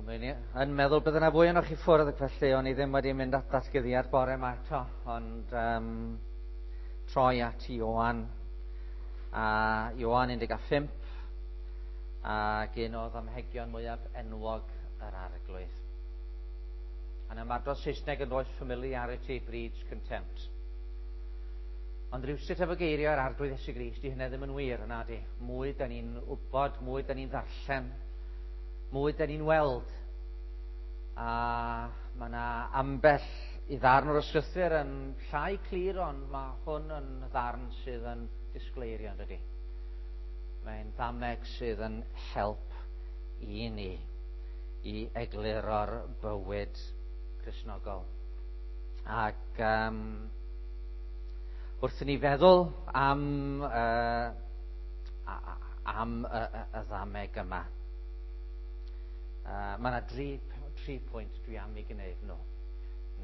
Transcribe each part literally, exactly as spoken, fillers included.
O'n i yn meddwl bydde yna fwy ohonoch chi ffwrdd, ac felly o'n i ddim wedi mynd at ddatguddiad bore yma eto, ond um, troi at Ioan, a Ioan un deg pump, ac un o ddamhegion mwyaf enwog yr Arglwydd. Yn ymadrodd Saesneg yn does, familiarity breeds contempt. Ond rhywsut efo geiriau yr Arglwydd Iesu Grist, di hynny ddim yn wir, yna di. Mwy da ni'n wybod, mwy da ni'n ddarllen, mwy da ni'n weld. A mae yna ambell i ddarn o'r ysgrythur yn llai clir, ond mae hwn yn ddarn sydd yn disgleirio, yn dydi. Mae'n ddameg sydd yn help i ni i egluro'r bywyd Cristnogol. Ac um, wrth i ni feddwl am, uh, am y, y, y ddameg yma, uh, mae yna dri, tri pwynt dwi am i gwneud nhw.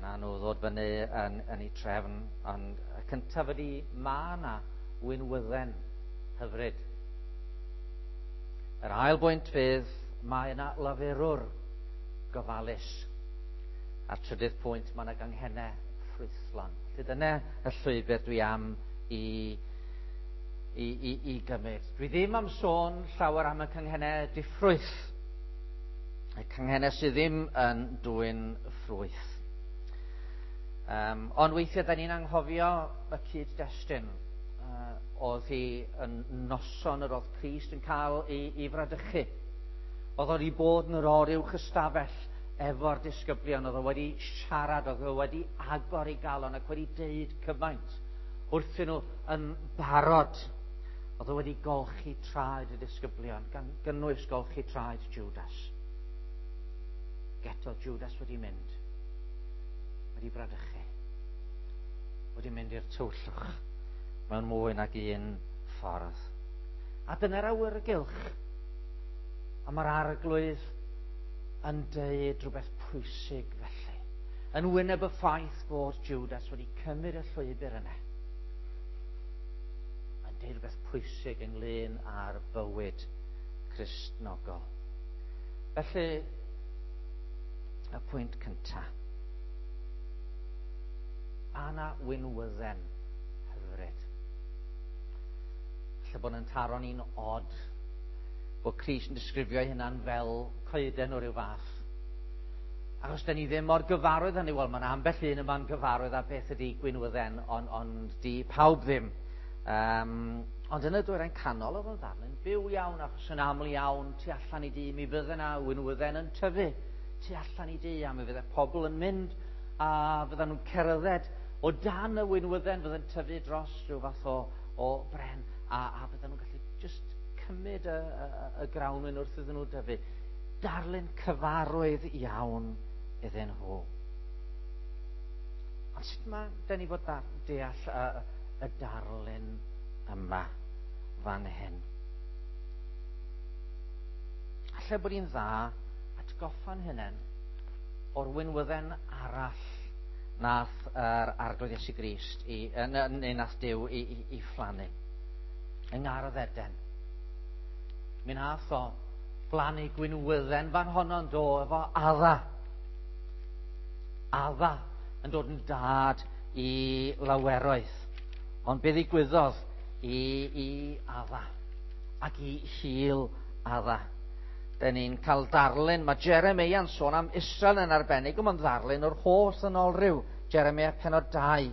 Na nhw ddod fyny yn, yn eu trefn, ond y cyntaf ydy mae yna winwydden hyfryd. Yr ail bwynt fydd mae yna lafurwr gofalus. A'r trydydd pwynt, mae yna ganghennau ffrwythlon. Felly dyna y llwybr dwi am i, i, i, i gymryd. Dwi ddim am sôn llawer am y canghennau diffrwyth. Y canghennau sydd ddim yn dwyn ffrwyth. Um, ond weithiau, da ni'n anghofio y cyd-destun. Uh, oedd hi yn noson yr oedd Crist yn cael ei, ei fradychu. Oedd o'n i bod yn yr oruwch ystafell efo'r disgyblion, oedd o wedi siarad, oedd o wedi agor ei galon ac wedi deud cymaint wrthyn nhw yn barod. Oedd o wedi golchi traed y disgyblion, gan gynnwys golchi traed Judas. Ac eto Judas wedi mynd, wedi bradychu, wedi mynd i'r tywyllwch mewn mwy nag un ffordd. A dyna'r awyrgylch. A mae'r Arglwydd yn deud rhywbeth pwysig felly. Yn wyneb y ffaith bod Judas wedi cymryd y llwybr yna. Yn deud rhywbeth pwysig ynglyn â'r bywyd Cristnogol. Felly, y pwynt cyntaf. Mae yna winwydden hyfryd. Falle bod yn taro ni'n od bod Crist yn disgrifio ei hunan fel coeden o ryw fath. Achos da ni ddim mor gyfarwydd hynny. Wel, mae'n ambell un yma'n gyfarwydd â beth ydy gwinwydden, ond, ond di pawb ddim. Um, ond yn y dwyrain canol oedd o'n ddarlun byw iawn, achos yn aml iawn tu allan i dŷ, mi fydde yna winwydden yn tyfu tu allan i dŷ, a mi fydde pobl yn mynd a fydden nhw'n cerdded o dan y winwydden fydde'n tyfu dros rhyw fath o, o bren, a, a fydden nhw'n gallu just cymryd y, y, y grawnwin wrth iddyn nhw dyfu. Darlun cyfarwydd iawn iddyn nhw. Ond sut mae dyn ni fod deall y, y darlun yma fan hyn? Alle bod hi'n dda atgoffa'n hunain o'r winwydden arall nath yr Arglwydd Iesu Grist i, neu nath Duw i, i, i phlannu yng Ngardd Eden. Mi nath o blannu gwinwydden fan honno'n do efo Adda. Adda yn dod yn dad i laweroedd. Ond be ddigwyddodd i, i Adda ac i hil Adda? Da ni'n cael darlun, mae Jeremeia'n sôn am Israel yn arbennig, ond mae'n ddarlun o'r holl ddynolryw. Jeremeia penod dau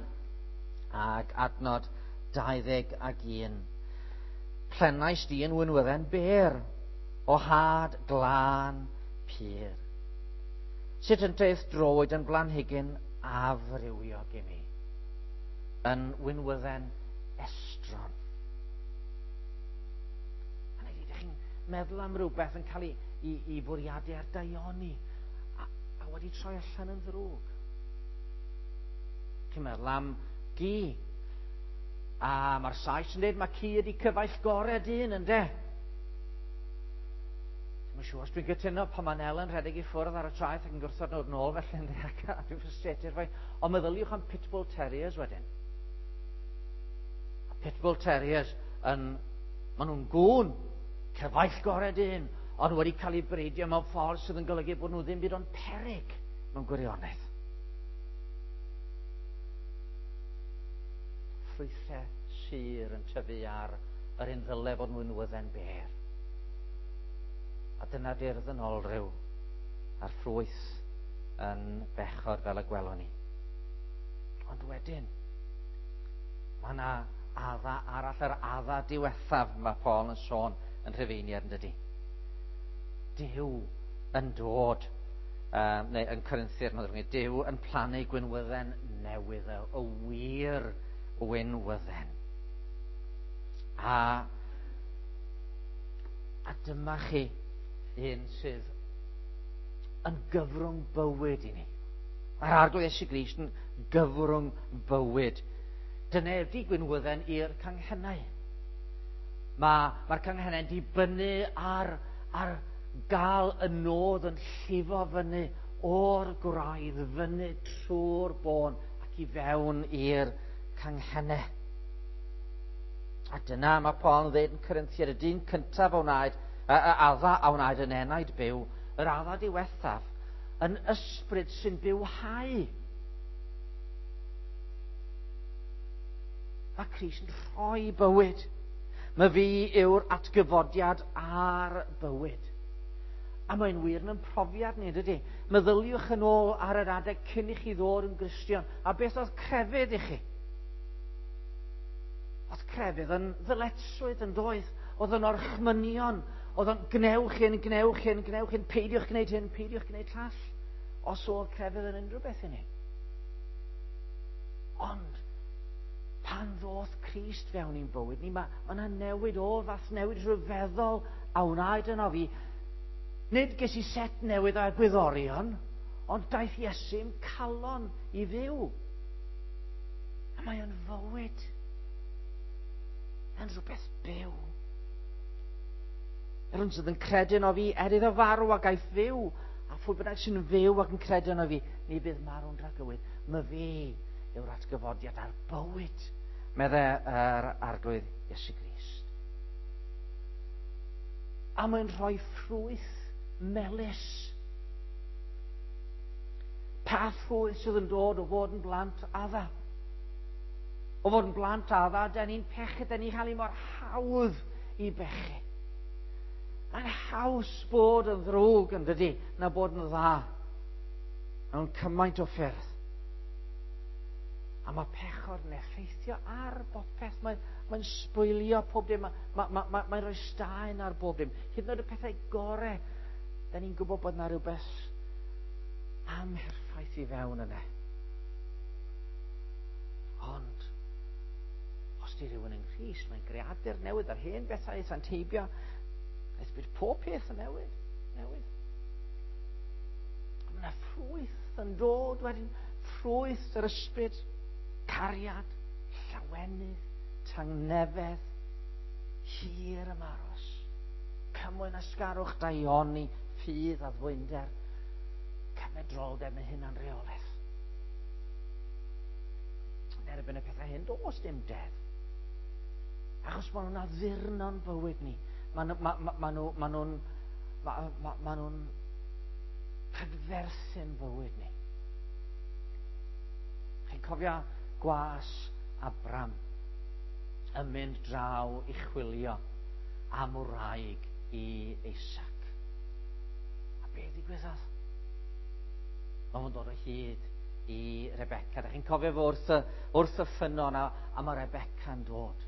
ac adnod dau ddeg ag un. Plenais di yn winwydden bêr, o had glân pur. Sut yn teith droed yn blanhigyn afrywiog i mi, yn winwydden estron. A nid ydych chi'n meddwl am rhywbeth yn cael ei, ei, ei fwriadu ar daioni, a, a wedi troi allan yn ddrwg. Chi'n meddwl am gi. A mae'r Sais yn dweud mae ci ydi cyfaill gorau dyn, ynde? Dwi'n siŵr os dwi'n gytuno pan mae Nel yn rhedeg i ffwrdd ar y traeth ac yn gwrthod nhw'n ôl felly, ynde, ac dwi'n frustrated fwy. Ond meddyliwch am Pitbull Terriers wedyn. A Pitbull Terriers yn, maen nhw'n gŵn, cyfaill gorau dyn, ond wedi cael eu breidio mewn ffordd sydd yn golygu bod nhw ddim byd ond peryg mewn gwirionedd. Ffrwythau sur yn tyfu ar yr un ddyle fod nhw'n wydden bêr. A dyna di'r ddynolryw a'r ffrwyth yn bechod fel y gwelwn ni. Ond wedyn, mae yna adda arall, yr adda diwethaf mae Paul yn sôn yn Rhufeiniaid, yn dydy. Duw yn dod, um, neu yn Corinthiaid, mae'n ddrwg, Duw yn plannu gwinwydden newydd, y wir winwydden. A, a dyma chi un sydd yn gyfrwng bywyd i ni. Mae'r Arglwydd Iesu Grist yn gyfrwng bywyd. Dyna ydi gwinwydden i'r canghennau. Mae'r ma canghennau'n dibynnu ar, ar gael y nodd yn llifo fyny o'r gwraidd, fyny trwy'r bôn ac i fewn i'r canghennau. A dyna mae Paul yn dweud yn Corinthiaid, y dyn cyntaf a wnaed, y adda a wnaed yn enaid byw, yr adda diwethaf, yn ysbryd sy'n bywhau. Mae Crist yn rhoi bywyd. Mae fi yw'r atgyfodiad a'r bywyd. A mae'n wir yn profiad ni, dydy? Meddyliwch yn ôl ar yr adeg cyn i chi ddod yn Gristion. A beth oedd crefydd i chi? Oedd crefydd yn ddyletswydd yn doedd. Oedd yn orchmynion. Oedd yn gnewch hyn, gnewch hyn, gnewch hyn, peidiwch gwneud hyn, peidiwch gwneud llall. Os oedd crefydd yn unrhyw beth i ni. Ond pan ddoth Crist fewn i'n bywyd ni, mae yna newid o'r fath newid rhyfeddol a wnaed yno fi. Nid ges i set newydd o egwyddorion, ond daeth Iesu'n calon i fyw. A mae o'n fywyd. Yn rhywbeth byw. Yr un sydd yn credu yno fi, er iddo farw ac aeth fyw, a phwy bynnag sy'n fyw ac yn credu yno fi, ni bydd marw'n dragywydd. Mae fi yw'r atgyfodiad a'r bywyd, medde yr Arglwydd Iesu Grist. A mae'n rhoi ffrwyth melys. Pa ffrwyth sydd yn dod o fod yn blant adda? O fod yn blant adda, da ni'n pechu, da ni'n cael ei mor hawdd i bechu. Mae'n haws bod yn ddrwg yn dydy, na bod yn dda. Mewn cymaint o ffyrdd. A mae pechod yn effeithio ar bopeth. Mae'n mae sbwylio pob dim. Mae'n ma, ma, ma, ma rhoi staen ar bob dim. Hyd yn oed y pethau gorau, da ni'n gwybod bod yna rhywbeth amherffaith i fewn yna. Ond, os di rhywun yng Nghrist, mae'n greadur newydd, a'r hen bethau aethant heibio, aeth bydd pob peth yn newid, newydd. Mae yna ffrwyth yn dod wedyn, ffrwyth yr ysbryd, cariad, llawenydd, tangnefedd, hir ymaros, cymwyn asgarwch, daioni, ffydd a ddwynder, cymedroldeb yn hunan reolaeth. Yn erbyn y pethau hyn, does dim deddf. Achos maen nhw'n addurno'n bywyd ni. Maen ma, ma, ma nhw, ma nhw'n ma, ma, ma nhw'n prydferthu'n bywyd ni. Chi'n cofio gwas Abram yn mynd draw i chwilio am wraig i Isaac. A be ddigwyddodd? Mae fo'n dod o hyd i Rebecca. Da chi'n cofio fo wrth y, wrth y ffynnon a, a mae Rebecca'n dod.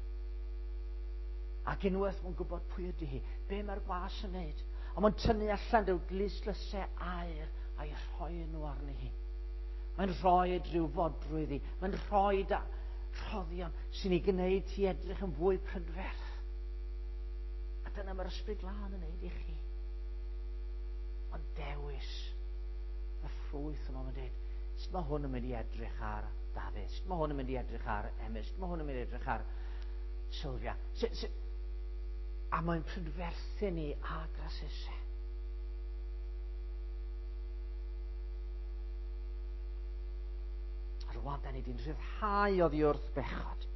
Ac unwaith mae'n gwybod pwy ydy hi, be mae'r gwas yn neud. A mae'n tynnu allan rhyw glustlysau aur a'i rhoi nhw arni hi. Mae'n rhoi rhyw fodrwydd i. Mae'n rhoi da rhoddion sy'n ei gwneud ti edrych yn fwy prydferth. A dyna mae'r Ysbryd Glân yn neud i chi. Ond dewis y ffrwyth yma, mae'n dweud, sut mae hwn yn mynd i edrych ar Dafydd? Sut mae hwn yn mynd i edrych ar Emyr? Sut mae hwn yn mynd i edrych ar Sylvia? Sut, sut? A mae'n prydferthu ni a grasusau. A rwan, da ni wedi'n rhyddhau oddi wrth bechod.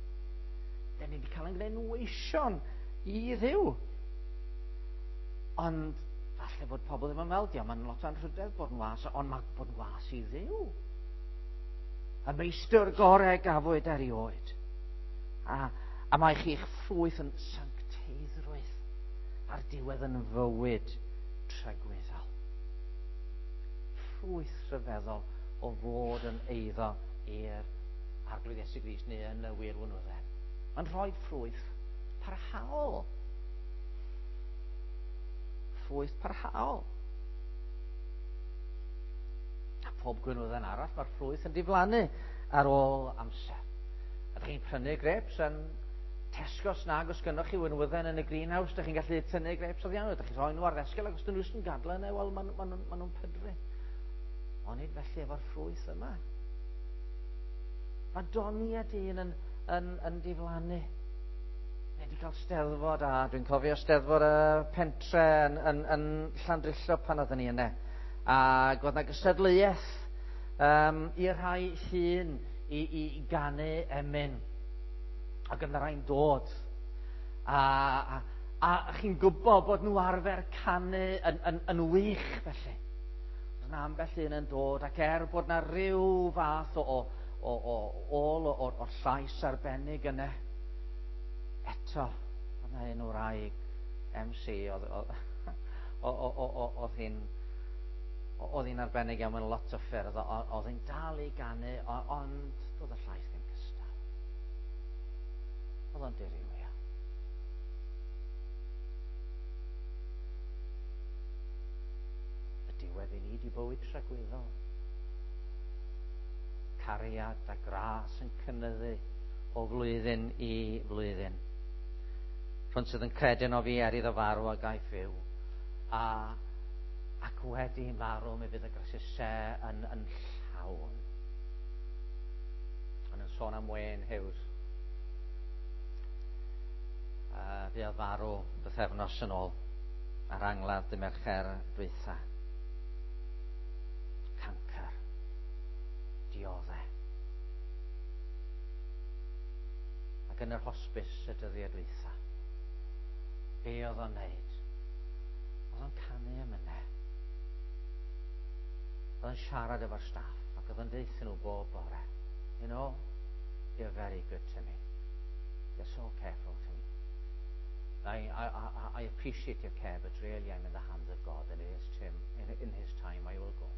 Da ni wedi cael ein gwneud yn weision i Dduw. Ond Falle bod pobl ddim yn meddwl, dio, mae'n lot o anrhydedd bod yn was, ond mae bod yn was i Dduw. Y meistr gorau gafwyd erioed. A, a mae chi'ch ffrwyth yn sancteiddrwydd a'r diwedd yn fywyd tragwyddol. Ffrwyth rhyfeddol o fod yn eiddo i'r Arglwydd Iesu Grist neu yn y wir winwydden. Mae'n rhoi ffrwyth parhaol. Ffrwyth parhaol. A pob gwinwydden arall, mae'r ffrwyth yn diflannu ar ôl amser. A ydych chi'n prynu grapes yn Tesco nag os gynnoch chi winwydden yn y greenhouse, ydych chi'n gallu tynnu grapes oddi arno, ydych chi'n rhoi nhw ar ddesgel ac os dyn nhw yn gadla yna, wel, maen ma nhw'n ma nhw pydru. Onid felly efo'r ffrwyth yma. Mae doniau dyn yn, yn, yn diflannu. Ni wedi cael steddfod, a dwi'n cofio steddfod y pentre yn, yn, yn Llandrillo pan oedden ni yna. Ac oedd yna gystadleuaeth um, i'r rhai hŷn i, i, i ganu emyn. Ac yna rhai'n dod. A, a, a chi'n gwybod bod nhw arfer canu yn, yn, yn wych felly. Oedd yna ambell un yn dod, ac er bod yna rhyw fath o, o, o, o ôl o'r, o'r llais arbennig yna, eto, oedd yna un wraig M C, oedd, oedd, oedd hi'n oedd hi'n arbennig iawn mewn lot o ffyrdd, oedd hi'n dal i ganu, ond doedd y llais ddim cystal. Oedd o'n dirywio. Y diwedd i ni di bywyd tragwyddol. Cariad a gras yn cynyddu o flwyddyn i flwyddyn. Rhwng sydd yn credu yno fi er iddo farw a gaiff fyw. A, ac wedi marw mi fydd y grasusau yn, yn llawn. Ond yn sôn am Wayne Hughes. Uh, fuodd farw bythefnos yn ôl ar angladd dy Mercher dwytha. Cancer. Diodde. Ac yn yr hospis y dyddiau dwytha. Be oedd o'n neud? Oedd o'n canu emynau. Oedd o'n siarad efo'r staff ac oedd o'n deutha nhw bob bore. You know, you're very good to me. You're so careful to me. I, I, I appreciate your care, but really I'm in the hands of God, and it is Tim. In, in his time I will go.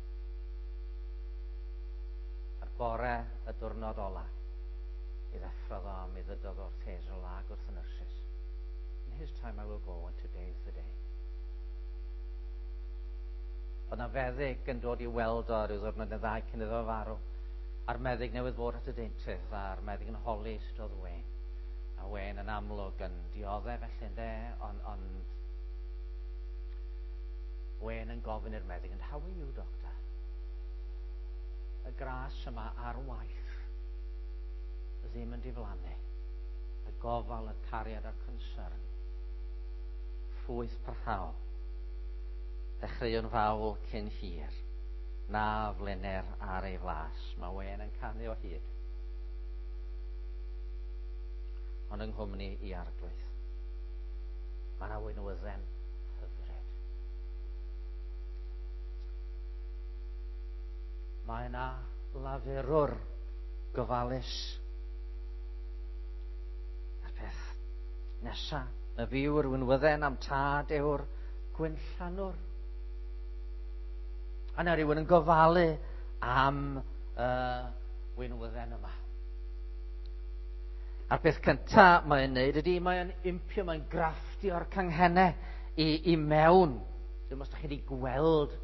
A'r bore y diwrnod ola, i ddeffrodd o, mi ddydodd wrth Hazel ag wrth y nyrsys. In his time I will go, and today is the day. Oedd na feddyg yn dod i weld o ryw ddwrnod neu ddau cyn iddo farw. A'r meddyg newydd fod at y deintydd, a'r meddyg yn holi sut oedd Wayne. A Wayne yn amlwg yn dioddef felly ynde, ond on, Wayne yn gofyn i'r meddyg, and how are you, doctor? Y gras yma ar waith ddim yn diflannu. Y gofal, y cariad a'r concern. Ffrwyth parhaol. Dechreuwn fawl cyn hir. Na flener ar ei flas. Mae Wayne yn canu o hyd. Ond yng nghwmni i Arglwydd. Mae yna winwydden hyfryd. Mae yna lafurwr gofalus. A'r peth nesa, y fi yw'r winwydden am tad yw'r gwynllanwr. A yna rhywun yn gofalu am y uh, winwydden yma. A'r peth cyntaf mae'n neud ydy, mae'n impio, mae'n grafftio'r canghennau i, i mewn. Dwi'n os ydych chi wedi gweld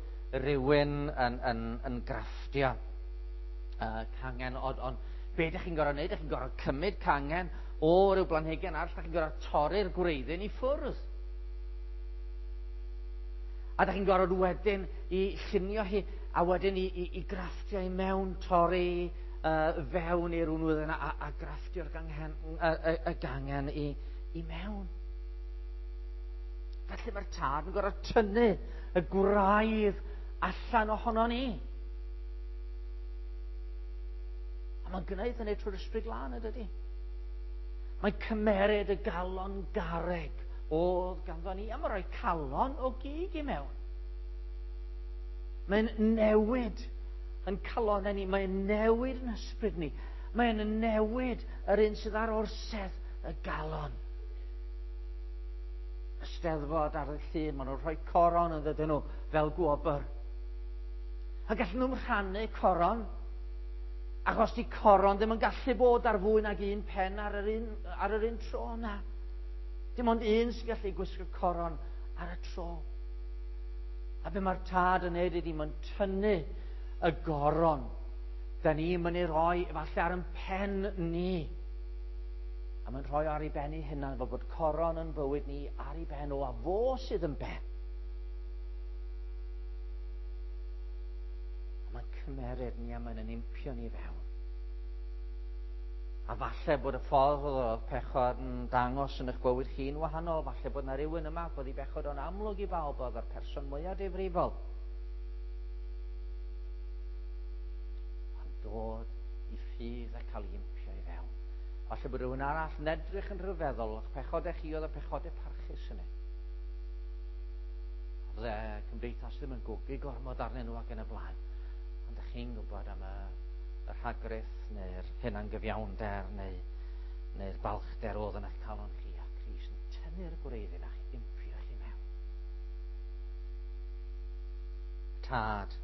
rhywun yn, yn, yn grafftio uh, cangen, ond on, be ydych chi'n gorfod neud? Ydych chi'n gorfod cymryd cangen o ryw blanhigyn arall, ydych chi'n gorfod torri'r gwreiddyn i ffwrdd. A ydych chi'n gorfod wedyn i llunio hi, a wedyn i, i, i grafftio i mewn, torri Uh, fewn i'r winwydden a, a grafftio'r gangen, y, y, y gangen i, i mewn. Felly mae'r tad yn gorfod tynnu y gwraidd allan ohono ni. A mae'n gwneud hynny trwy'r Ysbryd Glân, ydydi? Mae'n cymeryd y galon garreg oedd ganddo ni, a mae'n rhoi calon o gig i mewn. Mae'n newid yn calonnau ni. Mae'n newid yn ysbryd ni. Mae'n newid yr un sydd ar orsedd y galon. Y Steddfod ar y llun, maen nhw'n rhoi coron yn dydyn nhw fel gwobr. A gallen nhw'n rhannu coron, achos di coron ddim yn gallu bod ar fwy nag un pen ar yr un, ar yr un tro yna. Dim ond un sy'n gallu gwisgo coron ar y tro. A be mae'r tad yn neud ydy, mae'n tynnu y goron. Da ni'n mynd i roi efallai ar yn pen ni. A mae'n rhoi ar ei ben ei hunan, fel bod coron yn bywyd ni ar ei ben o, a fo sydd yn ben. A mae'n cymeryd ni a mae'n yn impio ni fewn. A falle bod y ffordd oedd pechod yn dangos yn eich bywyd chi'n wahanol, falle bod yna rhywun yma bod ei bechod o'n amlwg i bawb oedd yr person mwyaf difrifol. Ond dod i ffydd a cael ei impio i fewn. Falle bod rhywun arall yn edrych yn rhyfeddol, o'ch pechodau chi oedd y pechodau parchus yna. Oedd y cymdeithas ddim yn gwgu gormod arnyn nhw ac yn y blaen. Ond ydych chi'n gwybod am y, y rhagrith neu'r hunangyfiawnder neu, neu'r balchder oedd yn eich calon chi, a Crist yn tynnu'r gwreiddyn a'ch impio chi mewn. Tad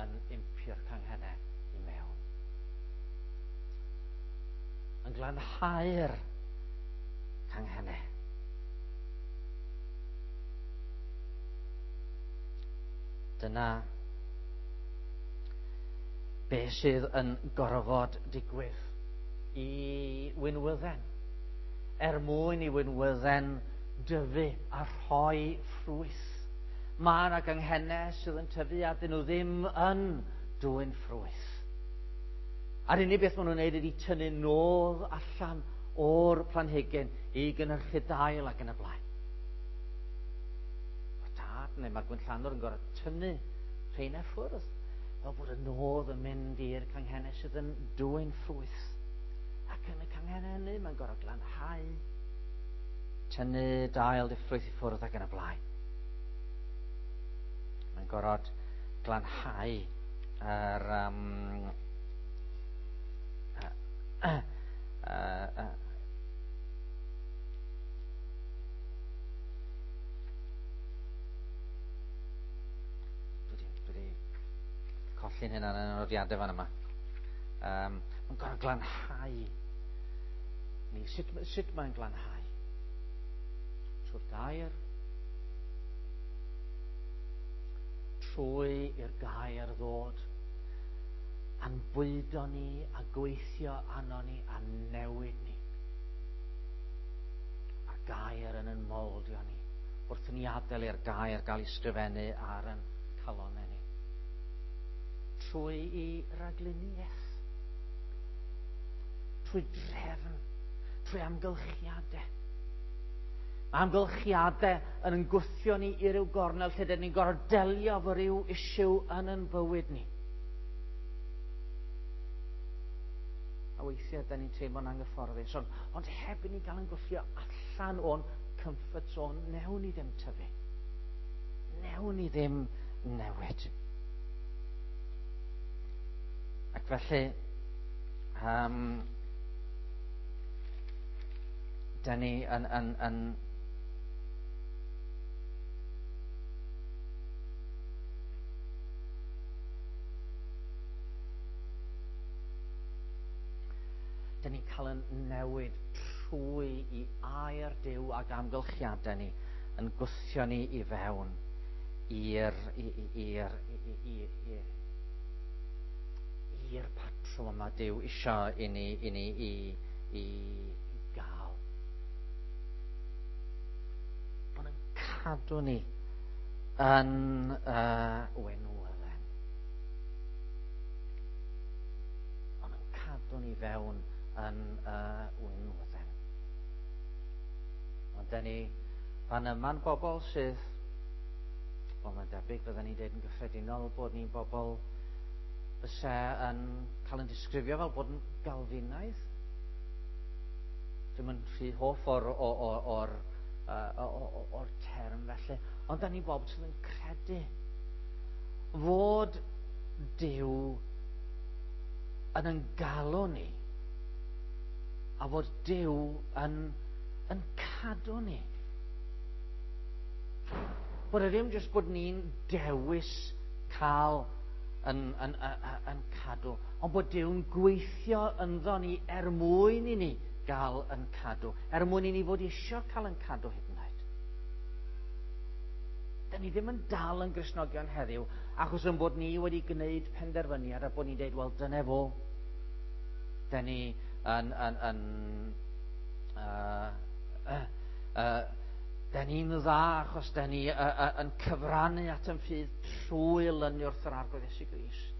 yn impio'r canghennau i mewn. Yn glanhau'r canghennau. Dyna be sydd yn gorfod digwydd i winwydden. Er mwyn i winwydden dyfu a rhoi ffrwyth. Mae yna ganghennau sydd yn tyfu a dyn nhw ddim yn dwyn ffrwyth. A'r unig beth maen nhw'n neud ydy tynnu nôl allan o'r planhigyn i gynhyrchu dail ac yn y blaen. Mae'r tad neu mae'r gwynllanwr yn gorfod tynnu rheina ffwrdd, fel bod y nodd yn mynd i'r canghennau sydd yn dwyn ffrwyth. Ac yn y canghennau hynny mae'n gorfod glanhau, tynnu dail diffrwyth i ffwrdd ac yn y blaen. Mae'n gorfod glanhau yr um, uh, uh, uh, dwi wedi colli'n hynna yn y nodiadau fan yma. Um, mae'n gorfod glanhau ni. Sut, sut mae'n glanhau? Trwy'r gair, trwy i'r gair ddod a'n bwydo ni a gweithio arno ni a newid ni. Mae'r gair yn yn moldio ni wrth i ni adael i'r gair gael ei sgrifennu ar yn calonnau ni. Trwy i ragluniaeth, trwy drefn, trwy amgylchiadau. Mae amgylchiadau yn yn gwthio ni i ryw gornel lle dyn ni'n gorfod delio efo ryw issue yn yn bywyd ni. A weithiau dyn ni'n teimlo'n anghyfforddus, ond, ond heb i ni gael yn gwthio allan o'n comfort zone, newn ni ddim tyfu. Newn ni ddim newid. Ac felly, um, dyn ni yn, yn, yn dyn ni'n cael yn newid trwy i air Duw ac amgylchiadau ni yn gwthio ni i fewn i'r i'r i'r patrwm yma Duw isio i ni i ni i, i gael. Mae'n yn cadw ni yn uh, wenwydden. Mae'n yn cadw ni fewn yn uh, winwydden. Ond dyn ni fan yma'n bobl sydd, wel mae'n debyg fydden ni'n deud yn gyffredinol bod ni'n bobl fysa yn cael yn disgrifio fel bod yn Galfinaidd. Dwi'm yn rhy hoff o'r, or, or, or, or, or term felly, ond dyn ni'n bobl sydd yn credu Fod Duw yn yn galw ni, a fod Duw yn, yn cadw ni. Bod e ddim jyst bod ni'n dewis cael yn, yn, yn, yn cadw, ond bod Duw'n gweithio ynddo ni er mwyn i ni gael yn cadw, er mwyn i ni fod eisiau cael yn cadw hyd yn oed. Da ni ddim yn dal yn Gristnogion heddiw, achos yn bod ni wedi gwneud penderfyniad a bod ni'n dweud, wel, dyna fo. Da ni yn... yn, yn uh, uh, uh, da ni'n dda achos da ni uh, uh, yn cyfrannu at yn ffydd trwy lynu wrth yr Arglwydd Iesu Grist.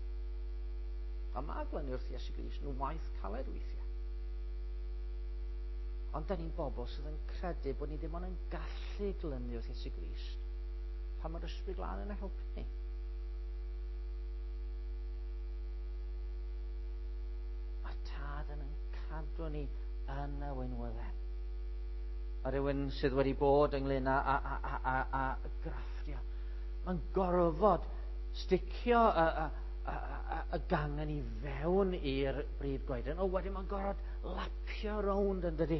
A mae glynu wrth Iesu Grist yn waith caled weithiau. Ond da ni'n bobl sydd yn credu bod ni ddim ond yn gallu glynu wrth Iesu Grist pan mae'r Ysbryd Glân yn helpu ni. Mae'r Tad yn yn cadw ni yn y winwydden. Mae rhywun sydd wedi bod ynglyn â, â, â, â, â, â grafftio. Mae'n gorfod sticio y, y, y, y, y gangen i fewn i'r brif goeden. O, wedyn mae'n gorfod lapio rownd yn dydi,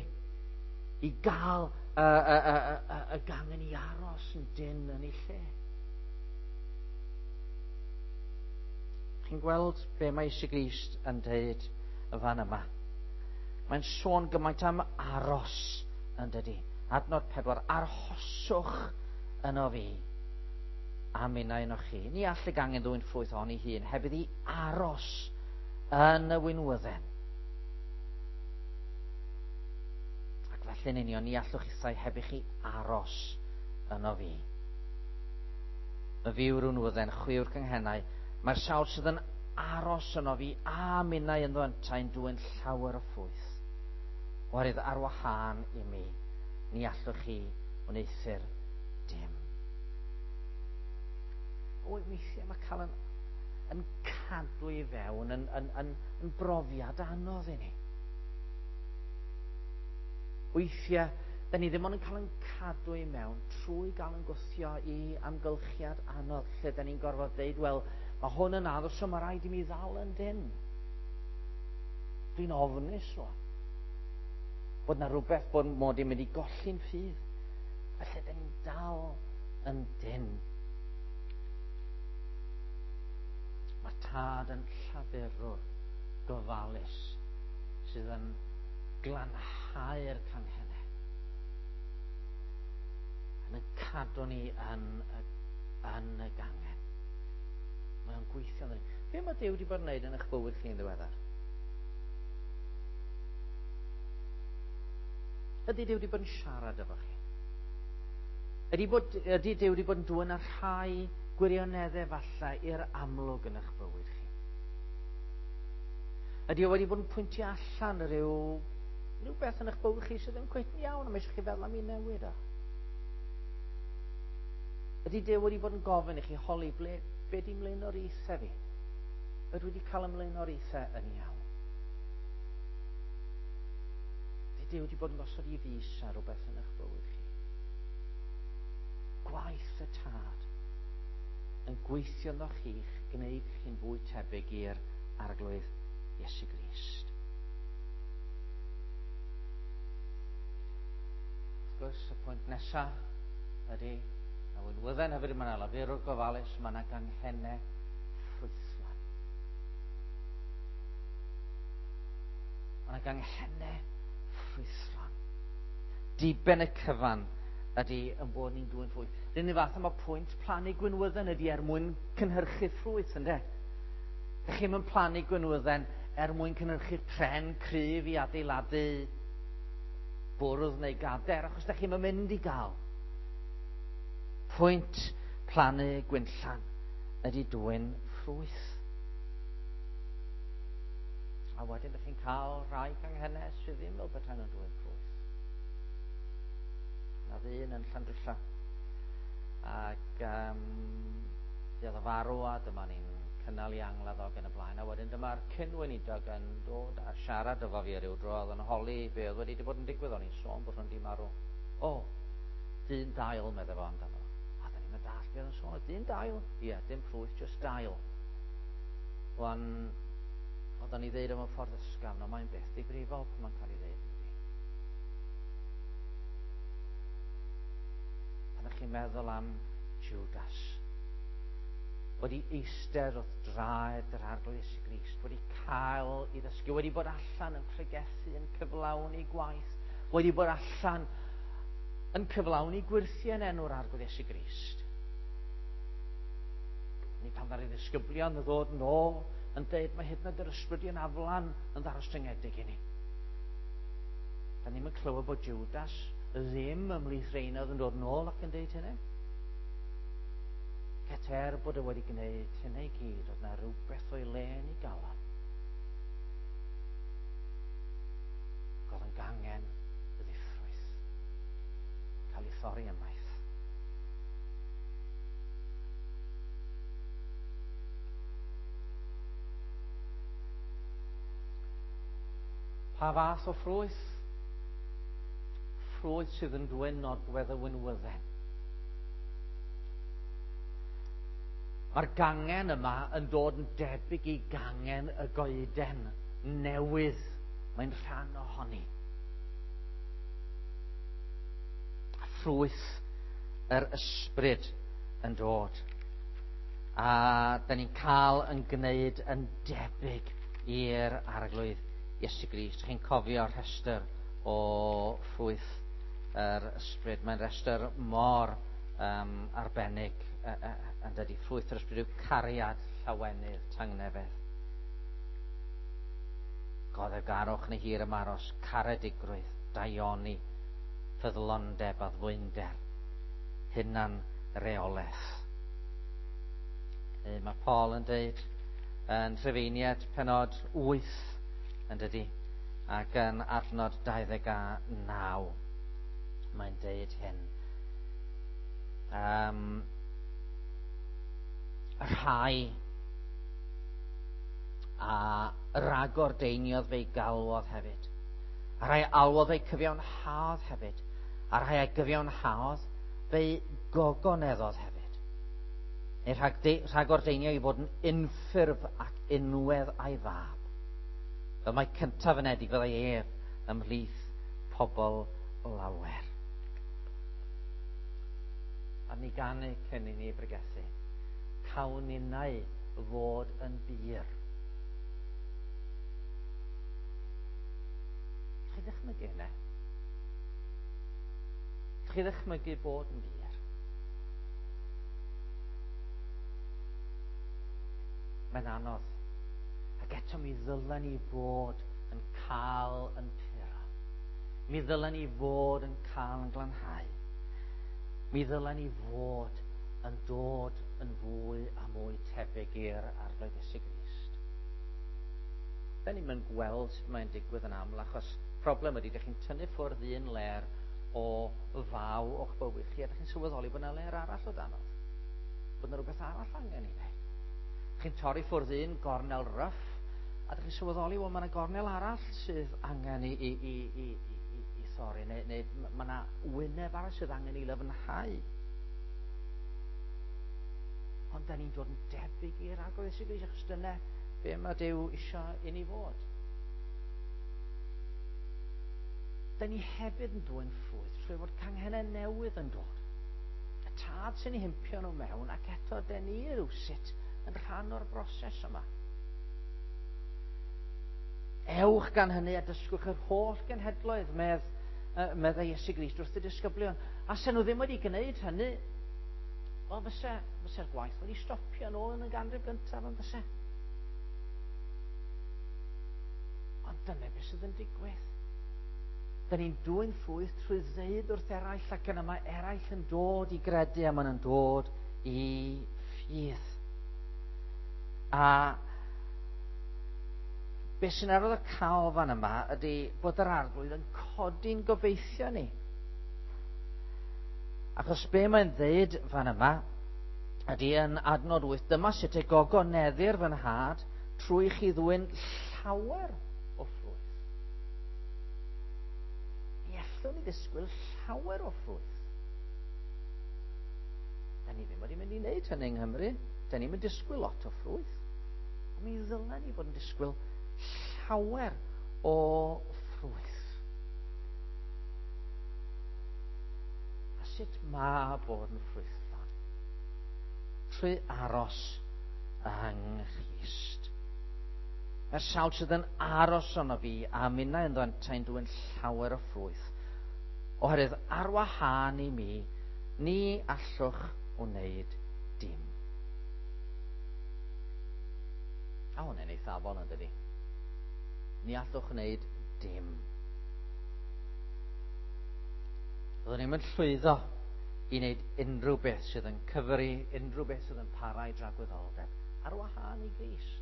i gael y, y, y, y, y gangen i aros yn dyn yn ei lle. Chi'n gweld be mae Iesu Grist yn dweud y fan yma? Mae'n sôn gymaint am aros yn dydi. Adnod pedwar, arhoswch yno fi a minnau yno chi. Ni all y gangen ddwyn ffrwyth ohoni hun heb iddi aros yn y winwydden. Ac felly'n union, ni allwch chithau heb i chi aros yno fi. Y fi yw'r winwydden, chwi yw'r canghennau. Mae'r sawl sydd yn aros yno fi a minnau ynddo yntau'n dwyn llawer o ffrwyth. Oherwydd ar wahân i mi, ni allwch chi wneuthur dim. O, weithiau mae cael yn, yn cadw i fewn yn, yn, yn, yn brofiad anodd i ni. Weithiau, da ni ddim ond yn cael yn cadw i mewn trwy gael yn gwthio i amgylchiad anodd, lle da ni'n gorfod deud, wel, mae hwn yn addos, so mae rhaid i mi ddal yn dyn. Dwi'n ofnus rwan. Bod na rhywbeth bod mod i'n mynd i golli'n ffydd. Felly, da ni'n dal yn dyn. Mae'r Tad yn llafurwr gofalus sydd yn glanhau'r canghennau. Yn yn cadw ni yn y, yn y gangen. Mae o'n gweithio yn ni. Be mae Duw wedi bod yn gwneud yn eich bywyd chi'n ddiweddar? Ydy Duw wedi bod yn siarad efo chi? Ydy, bod, ydy Duw wedi bod yn dwyn ar rhai gwirioneddau falle i'r amlwg yn eich bywyd chi? Ydy o wedi bod yn pwyntio allan rhyw, rhyw beth yn eich bywyd chi sydd ddim cweit yn iawn a mae eisiau chi feddwl am ei newid o? Ydy Duw wedi bod yn gofyn i chi holi ble, be di mlaenoriaethau fi? Ydw wedi cael ymlaenoriaethau yn iawn? Ydy Duw wedi bod yn gosod i fys ar rhywbeth yn eich bywyd chi? Gwaith y Tad yn gweithio ynddo chi'ch gwneud chi'n fwy tebyg i'r Arglwydd Iesu Grist. Wrth gwrs, y pwynt nesaf ydy, na winwydden hefyd, mae yna lafurwr gofalus, mae yna ganghennau ffrwythlon. Mae yna ganghennau ffrwythlon. Diben y cyfan ydy yn bod ni'n dwyn ffrwyth. Rydyn ni fath yma pwynt plannu gwinwydden ydy er mwyn cynhyrchu ffrwyth, ynde? Dych chi'm yn plannu gwinwydden er mwyn cynhyrchu pren cryf i adeiladu bwrdd neu gader, achos dych chi'm yn mynd i gael. Pwynt plannu gwinllan ydy dwyn ffrwyth. A wedyn dych chi'n cael rhai canghennau sydd ddim fel petai nhw'n dwyn ffrwyth. Na ddyn yn Llandrillo. Ac um, oedd o farw a dyma ni'n cynnal i angladd o yn y blaen. A wedyn dyma'r cyn-weinidog yn dod a siarad efo fi ryw dro. Oedd yn holi be oedd wedi bod yn digwydd. O'n i'n sôn bod nhw'n di marw. O, dyn dail, meddai fo amdano. A da ni'n Ddim yn dallt beth yn sôn. Dim dail. Ie, dim ffrwyth, just dail. Wan, oedden ni ddeud am y ffordd ysgafn, ond mae'n beth difrifol pan mae'n cael ei ddeud. Pan ydych chi'n meddwl am Judas, wedi eistedd wrth draed yr Arglwydd Iesu Grist, wedi cael ei ddysgu, wedi bod allan yn pregethu, yn cyflawni gwaith, wedi bod allan yn cyflawni gwyrthiau yn enw'r Arglwydd Iesu Grist. Ni pan ddaru ddisgyblion yn ddod yn ôl yn deud mae hyd yn oed yr ysbrydion aflan yn ddarostyngedig i ni. Da ni'n clywed bod Judas ddim ymhlith rheina oedd yn dod yn ôl ac yn deud hynny. Cet er bod e wedi gwneud hynny i gyd, oedd na rhywbeth o'i le yn ei galon. Oedd yn gangen y ddiffrwyth, cael ei thorri ymaith. Pa fath o ffrwyth? Ffrwyth sydd yn dwyn nodwedd y winwydden. Mae'r gangen yma yn dod yn debyg i gangen y goeden newydd. Mae'n rhan ohoni. A ffrwyth yr ysbryd yn dod. A da ni'n cael yn gwneud yn debyg i'r Arglwydd Iesu Grist. Chi'n cofio'r rhestr o ffrwyth yr ysbryd. Mae'n rhestr mor um, arbennig uh, uh, yn dydi. Ffrwyth yr ysbryd yw cariad, llawenydd, tangnefedd, goddefgarwch neu hir ymaros, caredigrwydd, daioni, ffyddlondeb, addfwynder, hunan reolaeth. E, mae Paul yn deud yn Rhufeiniaid penod wyth yn dydi, ac yn adnod dau ddeg a naw mae'n deud hyn. Um, rhai a ragordeiniodd fe'i galwodd hefyd, a rhai alwodd fe'i cyfiawnhaodd hefyd, a rhai a gyfiawnhaodd fe'i gogoneddodd hefyd. Neu rhag rhagordeinio i fod yn unffurf ac unwedd a'i fab. Fel mae cyntaf yn edig fyddai ef ymhlith pobl lawer. A ni ganu cyn i ni bregethu. Cawn ninnau fod yn bur. Chi ddychmygu hynny? Chi ddychmygu bod yn bur? Mae'n anodd. Ac eto mi ddylen ni fod yn cael yn puro. Mi ddylen ni fod yn cael yn glanhau. Mi ddylen ni fod yn dod yn fwy a mwy tebyg i'r Arglwydd Iesu Grist. Da ni'n mynd gweld sut mae'n digwydd yn aml, achos problem ydy, dych chi'n tynnu ffwrdd un ler o faw o'ch bywyd chi, a dych chi'n sylweddoli bod yna ler arall o danodd. Bod yna rhywbeth arall angen i wneud. Chi'n torri ffwrdd un gornel ryff, a dych chi'n sylweddoli, wel, mae yna gornel arall sydd angen i, i, i, i, i, i thorri, neu, neu mae yna wyneb arall sydd angen i lyfnhau. Ond da ni'n dod yn debyg i'r Arglwydd Iesu Grist, achos dyna be mae Duw eisiau i ni fod. Da ni hefyd yn dwyn ffrwyth trwy fod canghennau newydd yn dod. Y tad sy'n ei himpio nhw mewn, ac eto da ni rywsut yn rhan o'r broses yma. Ewch gan hynny a dysgwch yr holl genhedloedd, medd, uh, meddai Iesu Grist wrth y disgyblion. A sen nhw ddim wedi gwneud hynny, wel, fyse, fyse'r gwaith wedi stopio yn ôl yn y ganrif gyntaf yn fyse. Ond dyna beth sydd yn digwydd. Da ni'n dwyn ffrwyth trwy ddeud wrth eraill, ac yna mae eraill yn dod i gredu a maen nhw'n dod i ffydd. A beth sy'n arwydd y cael fan yma ydy bod yr Arglwydd yn codi'n gobeithio ni. Achos be mae'n ddeud fan yma ydy yn adnod wyth, dyma sut y gogoneddir fy nhad trwy chi ddwyn llawer o ffrwyth. Mi allwn ni ddisgwyl llawer o ffrwyth. Da ni ddim wedi mynd i wneud hynny yng Nghymru. Da ni'n mynd disgwyl lot o ffrwyth. Ond mi ddylen ni fod yn disgwyl llawer o ffrwyth. A sut mae bod yn ffrwythlon? Trwy aros yng Nghrist. Mae'r sawl sydd yn aros yno fi a minnau ynddo yntau'n dwyn llawer o ffrwyth. Oherwydd ar wahân i mi, ni allwch wneud dim. A hwnna'n eithafol yn dydi? Ni allwch wneud dim. Byddwn ni'n mynd llwyddo i wneud unrhyw beth sydd yn cyfri, unrhyw beth sydd yn para i dragwyddoldeb, ar wahân i Grist.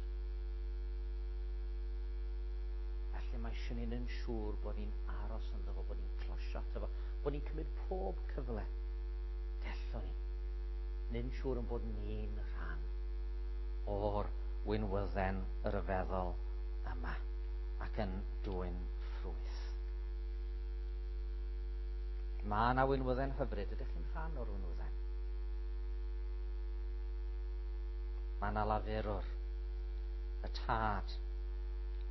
Felly mae eisiau ni'n yn siŵr bod ni'n aros ynddo fo, bod ni'n closio ato fo, bod ni'n cymryd pob cyfle. Dellwn ni. Neu'n siŵr yn bod ni'n rhan o'r winwydden ryfeddol yma ac yn dwyn ffrwyth. Mae yna winwydden hyfryd. Ydych chi'n rhan o'r winwydden? Mae yna lafurwr, y tad,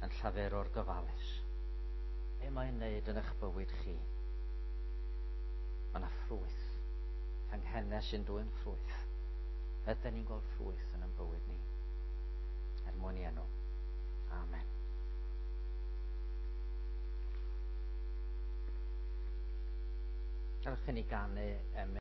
yn llafurwr gofalus. Be mae'n wneud yn eich bywyd chi? Mae yna ffrwyth. Canghennau sy'n dwyn ffrwyth. Ydyn ni'n gweld ffrwyth yn ein bywyd ni? Er mwyn i enw. Amen. Gadewch i ni ganu emyn.